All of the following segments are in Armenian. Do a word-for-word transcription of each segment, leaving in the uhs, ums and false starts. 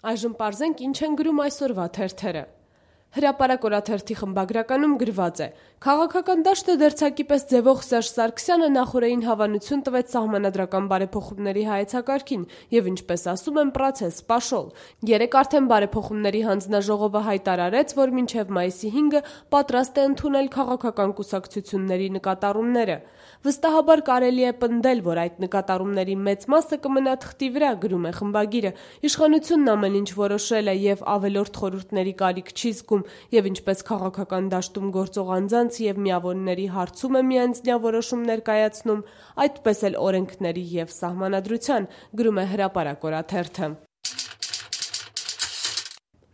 Այժմ պարզենք ինչ են գրում այսօրվա թերթերը։ Հրապարակ օրաթերթի խմբագրականում գրված է. «Քաղաքական դաշտը դերձակի պես ձևող Սերժ Սարգսյանը նախօրեին հավանություն տվեց սահմանադրական բարեփոխումների հայեցակարգին եւ ինչպես ասում են, պրոցես պաշոլ։ Երեկ արդեն բարեփոխումների հանձնաժողովը հայտարարեց, որ մինչեւ մայիսի հինգը պատրաստ է ընդունել քաղաքական կուսակցությունների նկատառումները։ Վստահաբար կարելի է պնդել, որ այդ նկատառումների մեծ մասը կմնա թղթի վրա», գրում է խմբագիրը։ Իշխանությունն ամեն ինչ որոշել է եւ ավելորդ խորհուրդների կարիք չի զգում եւ ինչպես քաղաքական դաշտում գործող անձանց եւ միավորների հարցում է միանձնյա որոշում ներկայացնում, այդպես էլ օրենքների եւ սահմանադրության, գրում է Հրապարակ օրաթերթը։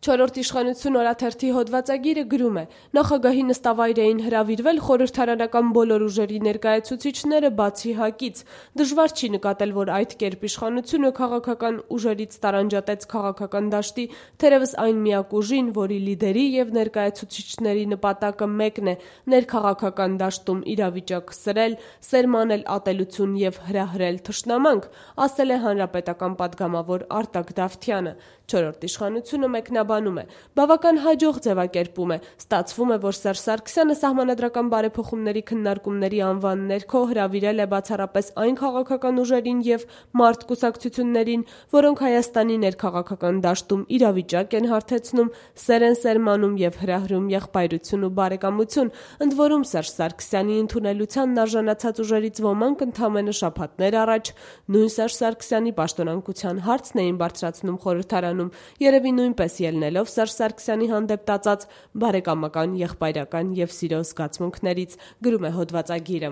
Չորրորդ իշխանություն օրաթերթի հոդվածագիրը գրում է. «Նախագահի նստավայր էին հրավիրվել խորհրդարանական բոլոր ուժերի ներկայացուցիչները բացի ՀԱԿ-ից։ Դժվար չի նկատել, որ այդ կերպ իշխանությունը քաղաքական ուժերից տարանջատեց քաղաքական դաշտի թերևս այն միակ ուժին, որի լիդերի եւ ներկայացուցիչների նպատակը մեկն է՝ ներքաղաքական դաշտում իրավիճակ սրել, սերմանել ատելություն եւ հրահրել թշնամանք», ասել է հանրապետական պատգամավոր Արտակ Դավթյանը։ Չորրորդ իշխանությունը մեկնաբանում է. «Բավական հաջող ձևակերպում է։ Ստացվում է, որ Սերժ Սարգսյանը սահմանադրական բարեփոխումների քննարկումների անվան ներքո հրավիրել է բացառապես այն քաղաքական ուժերին եւ մարդ կուսակցություններին, որոնք Հայաստանի ներքաղաքական դաշտում իրավիճակ են հարթեցնում, սեր են սերմանում եւ հրահրում եղբայրություն ու բարեկամություն, ընդ որում Սերժ Սարգսյանի ընդունելությանն արժանացած ուժերից ոմանք ընդամենը շաբաթներ առաջ նույն Սերժ Սարգսյանի պաշտոնանկության հարցն էին բարձրացնում խորհրդարանում, երևի նույնպես ելնելով Սերժ Սարգսյանի հանդեպ տածած բարեկամական, եղբայրական եւ սիրո զգացմունքներից», գրում է հոդվածագիրը։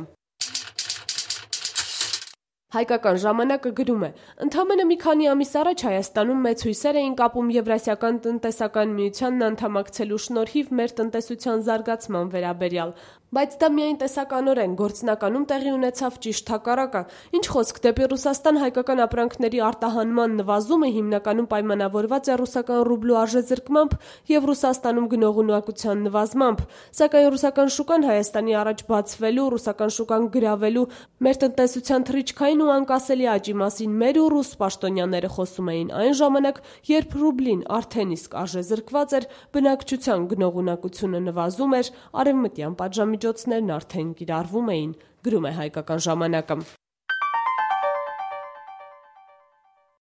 Հայկական ժամանակը գրում է. «Ընդամենը մի քանի ամիս առաջ Հայաստանում մեծ հույսեր էին կապում Եվրասիական տնտեսական միությանն անդամակցելու շնորհիվ մեր տնտեսության զարգացման վերաբերյալ, բայց դա միայն տեսականորեն, գործնականում տեղի ունեցավ ճիշտ հակառակը։ Ինչ խոսք, դեպի Ռուսաստան հայկական ապրանքների արտահանման նվազումը հիմնականում պայմանավորված է ռուսական ռուբլու արժեզրկմամբ եւ Ռուսաստանում գնողունակության նվազմամբ, սակայն ռուսական շուկան Հայաստանի առաջ բացվելու, ռուսական շուկան գրավելու, մեր տնտեսության թռիչքային ու անկասելի աճի մասին մեր ու ռուս պաշտոնյաները խոսում էին այն ժամանակ, երբ ռուբլին արդեն իսկ արժեզրկված էր, բնակչության գնողունակությունը նվազում էր, արևմտյան պատժամիջոցներն արդեն կիրառվում էին», գրում է Հայկական ժամանակը։